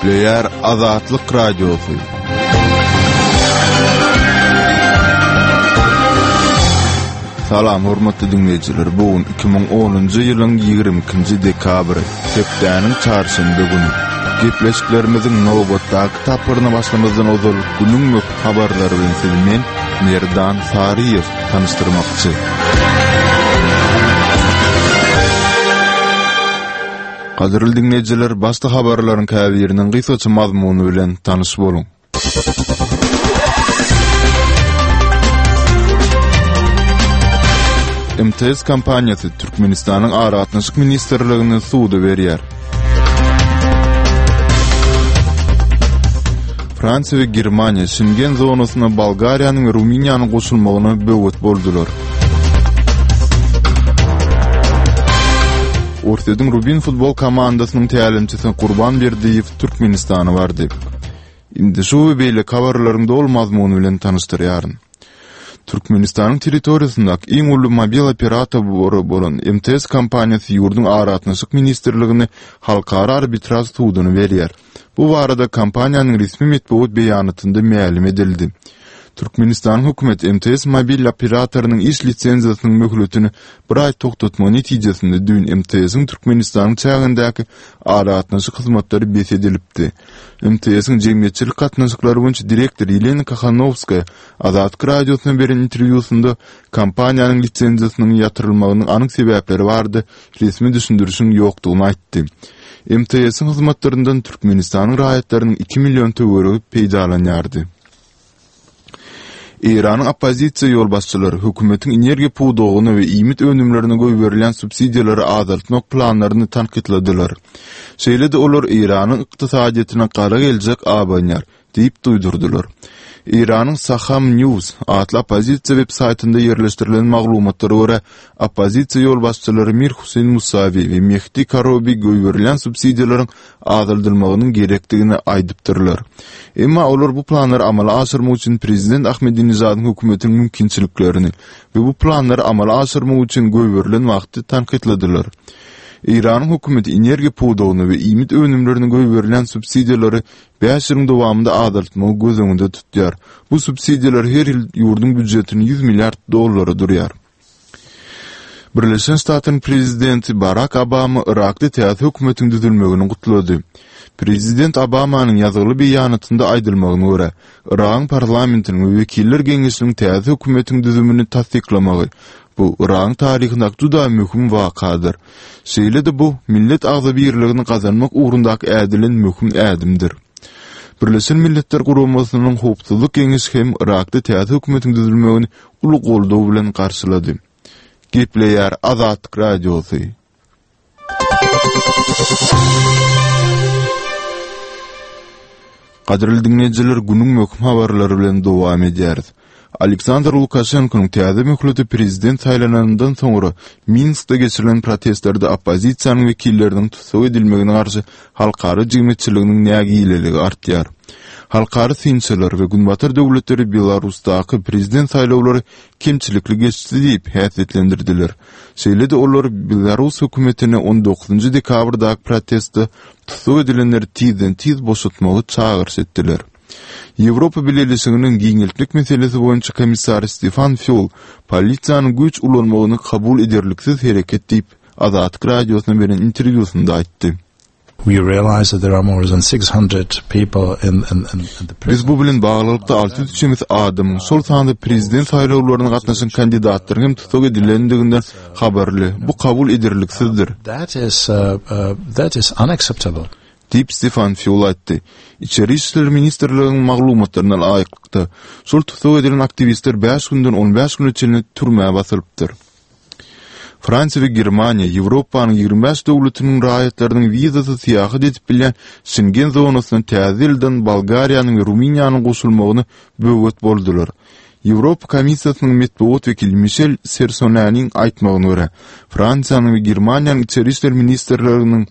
Gepleýär Azatlyk Radiosy. Salam hormatly diňleýjiler. Bu gün 2010-njy ýylyň 22-nji dekabry, hepdäniň çarşenbe güni. Gepleşiklerimiziň nobatdaky tapgyryna başlamazdan ozal günüň möhüm habarlary bilen sizi men, Merdan Saryýew tanyşdyrmakçy. Gadyrly diňleýjiler, başda habarlaryň käbiriniň gysgaça mazmuny bilen tanyş boluň. MTS kompaniýasy Türkmenistanyň Aragatnaşyk ministrligini suda berýär. Fransiýa we Germaniýa Şengen zonasyna Bolgariýanyň we Rumyniýanyň goşulmagyna böwet boldular. Orsýetiň Rubin futbol komandasynyň tälimçisi Gurban Berdiýew Türkmenistana bardy. Indi şu we beýleki habarlaryň doly mazmuny bilen tanyşdyrýaryn. Türkmenistanyň territoriýasyndaky iň uly mobil operatory bolan MTS kompaniýasy ýurduň Aragatnaşyk ministrligine halkara arbitraž suduny berýär. Bu barada kompaniýanyň resmi metbugat beýanatynda mälim edildi. Türkmenistanyň hökümeti MTS mobil operatorynyň iş lisenziýasynyň möhletini bir aý togtatmagy netijesinde düýn MTS-iň Türkmenistanyň çägindäki aragatnaşyk hyzmatlary bes edilipdi. MTS-iň jemgyýetçilik gatnaşyklary boýunça direktory Ýelena Kohanowskaýa Azatlyk Radiosyna beren interwýusynda kompaniýanyň lisenziýasynyň ýatyrylmagynyň anyk sebäpleri barada resmi düşündirişiň ýokdugyny aýtdy. MTS-iň hyzmatlaryndan Türkmenistanyň raýatlarynyň iki million töweregi peýdalanýardy. Eýranyň oppozisiýa ýolbaşçylary hökümetiň energiýa pudagyna we iýmit önümlerine goýberilýän subsidiýalary azaltmak planlaryny tankytladylar. Şeýle-de olar Eýranyň ykdysadyýetine gara geljek abanýar diýip duýdurdylar. Eýranyň Saham News atly oppozisiýa web-saýtynda ýerleşdirilen maglumatlara görä, oppozisiýa ýolbaşçylary Mir Huseýn Musawi we Mehdi Karobi goýberilýän subsidiýalaryň azaldylmagynyň gerekdigini aýdypdyrlar. Emma olar bu planlary amala aşyrmak üçin prezident Ahmedinejadyň hökümetiniň mümkinçiliklerini we bu planlary amala aşyrmak üçin goýberilen wagty tankytladylar. Eýranyň hökümeti energiýa pudagyna we iýmit önümlerine goýberilýän subsidiýalary bäş ýylyň dowamynda azaltmagy göz öňünde tutýar. Bu subsidiýalar her ýyl ýurduň býujetini 100 milliard dollara durýar. Birleşen Ştatlaryň prezidenti Barak Obama Yrakda täze hökümetiň düzülmegini gutlady. Prezident Obamanyň ýazgyly beýanatynda aýdylmagyna görä, Yragyň parlamentiniň we wekiller geňeşiniň täze hökümetiň düzümini tassyklamagy, bu Yragyň taryhyndaky juda möhüm wakadyr. Şeýle-de bu, millet agzybirligini gazanmak ugrundaky ädilen möhüm ädimdir. Birleşen Milletler Guramasynyň Howpsuzlyk Geňeşi hem Yrakda täze hökümetiň düzülmegini uly goldaw bilen garşylady. Gepleýär Azatlyk Radiosy. Gadyrly diňleýjiler, günüň möhüm habarlary bilen dowam edýäris. Aleksandr Lukaşenkonyň täze möhlete prezident saýlananyndan soňra Minskde geçirilen protestlerde oppozisiýanyň wekilleriniň tussag edilmegine garşy halkara jemgyýetçiliginiň nägileligi artýar. Halkara synçylar we Günbatar döwletleri Belarusdaky prezident saýlawlary kemçilikli geçdi diýip häsiýetlendirdiler. Şeýle-de olar belarus hökümetine on dokuzynjy dekabrdaky protestde tussag edilenleri tizden-tiz boşatmagy çagyryş etdiler. Ýewropa Bileleşiginiň giňeltmek meselesi boýunça komissary Stefan Fýul polisiýanyň güýç ulanmagyny kabul ederliksiz hereket diýip, Azatlyk Radiosyna beren interwýusynda aýtdy. Biz bu bilen baglylykda 600 çemesi adamyň, şol sanda prezident saýlawlaryna gatnaşan kandidatlaryň hem tussag edilendiginden habarly. Bu kabul ederliksizdir. Diýip, Stefan Fýul aýtdy. Içeri işler ministrliginiň maglumatlaryna laýyklykda, şol tussag edilen aktiwistler bäş günden on bäş güne çenli türmä basylypdyr. Fransiýa we Germaniýa Ýewropanyň 25 döwletiniň raýatlarynyň wizasyz syýahat edip bilýän Şengen zonasyna täze ýyldan Bolgariýanyň we Rumyniýanyň goşulmagyna böwet boldular. Ýewropa Komissiýasynyň metbugat wekili Mişel Sersonäniň aýtmagyna görä, Fransiýanyň we Germaniýanyň içeri işler ministrleriniň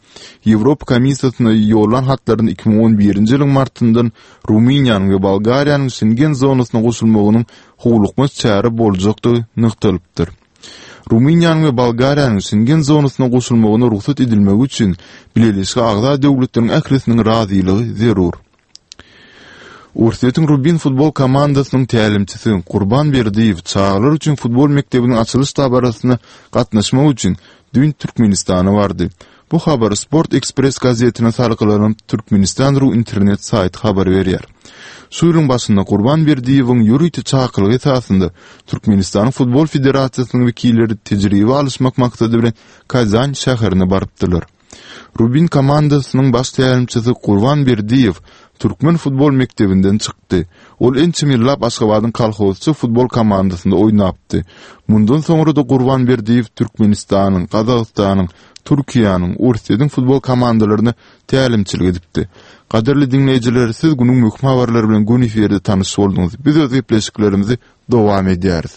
Ýewropa Komissiýasyna ýollan hatlarynda 2011-nji ýylyň martyndan Rumyniýanyň we Bolgariýanyň Şengen zonasyna goşulmagynyň howlukmaç çäre boljakdygy nygtalypdyr. Rumyniýanyň we Bolgariýanyň Şengen zonasyna goşulmagyna rugsat edilmegi üçin Bileleşige agza döwletleriň ählisiniň razylygy zerur. Orsýetiň Rubin futbol komandasynyň tälimçisi Gurban Berdiýew çagalar üçin futbol mekdebiniň açylyş dabarasyna gatnaşmak üçin düýn Türkmenistana bardy. Bu habary Sport Ekspress gazetine salgylanyp, Türkmenistan. Ru internet saýty habar berýär. Şu ýylyň başynda Gurban Berdiýewiň ýörite çakylygy esasynda Türkmenistanyň Futbol federasiýasynyň wekilleri tejribe alyşmak maksady bilen Kazan şäherine barypdylar. Rubin komandasynyň baş tälimçisi Gurban Berdiýew türkmen futbol mekdebinden çykdy. Ol ençeme ýyllap Aşgabadyň Kolhozçy futbol komandasynda oýnapdy. Mundan soňra-da Gurban Berdiýew Türkmenistanyň, Gazagystanyň, Türkiýäniň, Orsýetiň futbol komandalaryna tälimçilik edipdi. Gadyrly diňleýjiler, siz günüň möhüm habarlary bilen göni efirde tanyş bolduňyz. Biz öz gepleşiklerimizi dowam edýäris.